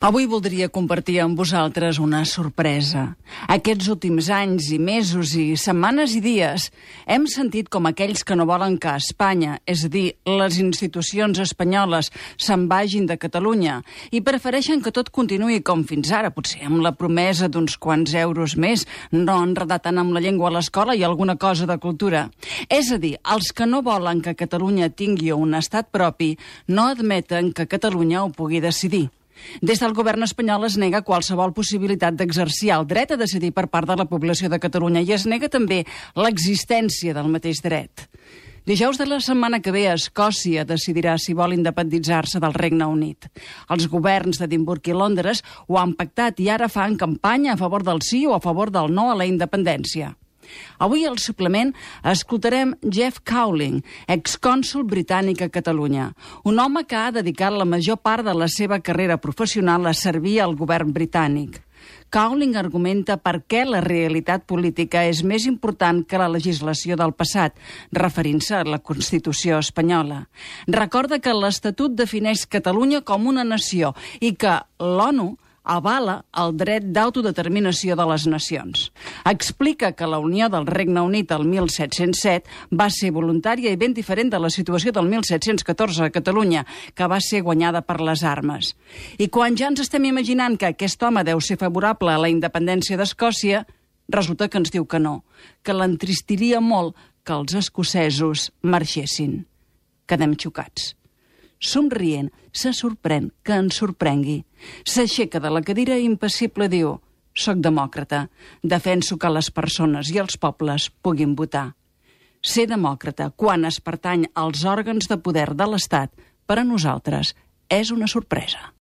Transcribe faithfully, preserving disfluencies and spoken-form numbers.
Avui voldria compartir amb vosaltres una sorpresa. Aquests últims anys i mesos i setmanes i dies hem sentit com aquells que no volen que Espanya, és a dir, les institucions espanyoles, se'n vagin de Catalunya i prefereixen que tot continuï com fins ara, potser amb la promesa d'uns quants euros més, no enredar tant amb la llengua a l'escola i alguna cosa de cultura. És a dir, els que no volen que Catalunya tingui un estat propi no admeten que Catalunya ho pugui decidir. Des del govern espanyol es nega qualsevol possibilitat d'exercir el dret a decidir per part de la població de Catalunya i es nega també l'existència del mateix dret. Dijous de la setmana que ve, Escòcia decidirà si vol independitzar-se del Regne Unit. Els governs d'Edimburg i Londres ho han pactat i ara fan campanya a favor del sí o a favor del no a la independència. Avui al suplement escoltarem Jeff Cowling, excònsol britànic a Catalunya, un home que ha dedicat la major part de la seva carrera professional a servir al govern britànic. Cowling argumenta per què la realitat política és més important que la legislació del passat, referint-se a la Constitució espanyola. Recorda que l'Estatut defineix Catalunya com una nació i que l'ONU avala el dret d'autodeterminació de les nacions. Explica que la unió del Regne Unit el mil set-cents set va ser voluntària i ben diferent de la situació del mil set-cents catorze a Catalunya, que va ser guanyada per les armes. I quan ja ens estem imaginant que aquest home deu ser favorable a la independència d'Escòcia, resulta que ens diu que no, que l'entristiria molt que els escocesos marxessin. Quedem xocats. Somrient, se sorprèn que ens sorprengui. S'aixeca de la cadira i impassible diu: «Soc demòcrata, defenso que les persones i els pobles puguin votar». Ser demòcrata quan es pertany als òrgans de poder de l'Estat, per a nosaltres, és una sorpresa.